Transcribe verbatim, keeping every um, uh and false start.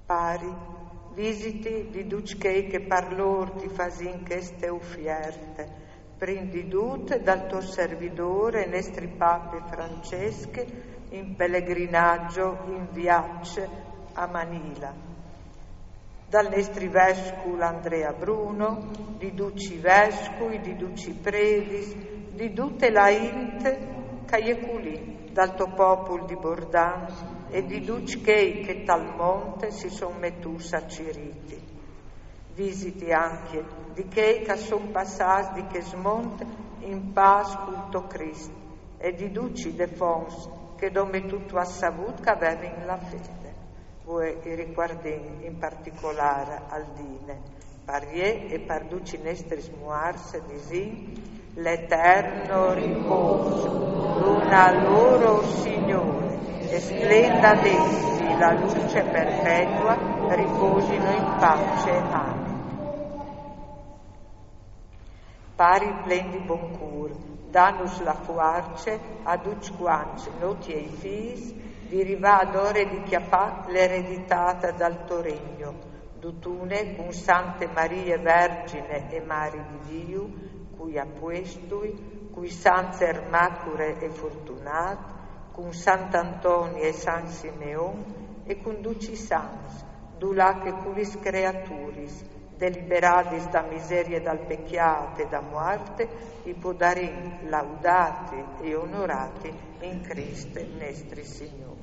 Pari, visiti di ducj chei che par lôr ti fasìn cheste ufierte, prin di dut dal to servidôr e nestri pape Francesc in pelegrinaç in viaç a Manila, dal nestri vescul Andrea Bruno, di ducj i vescui, di ducj i predis, di dute la int che e je culì, dal to popul di Bordan e di ducj chei che tal mont si son metûts a cirîti. Visiti ancje di chei che a son passâts di chest mont in pâs cul to Crist e di ducj i defonts che dome tu tu âs savût che a vevin la fede. Vuê i ricuardìn in particolâr Aldine, par jê e par ducj i nestris muarts, disìn: l'eterno ripôs dona lôr, o Signôr, e splenda ad essi la luce perpetua, riposino in pace. Amen. Pari plen di bon cûr, danus la fuarce a ducj cuancj, no tiei fîs, di rivâ adore di cjapâ l'ereditât dal to regno, dutune cun Sante Marie Vergjine e Mari di Diu, cui apuestui, cui Sants Ermacure e Fortunât, cun Sant'Antoni e San Simeon e cun ducj i sants, dulà che cu lis creaturis, deliberadis da miserie dal pecjât e da muart, i podarìn laudâti e onorâti in Crist nestri Signôr.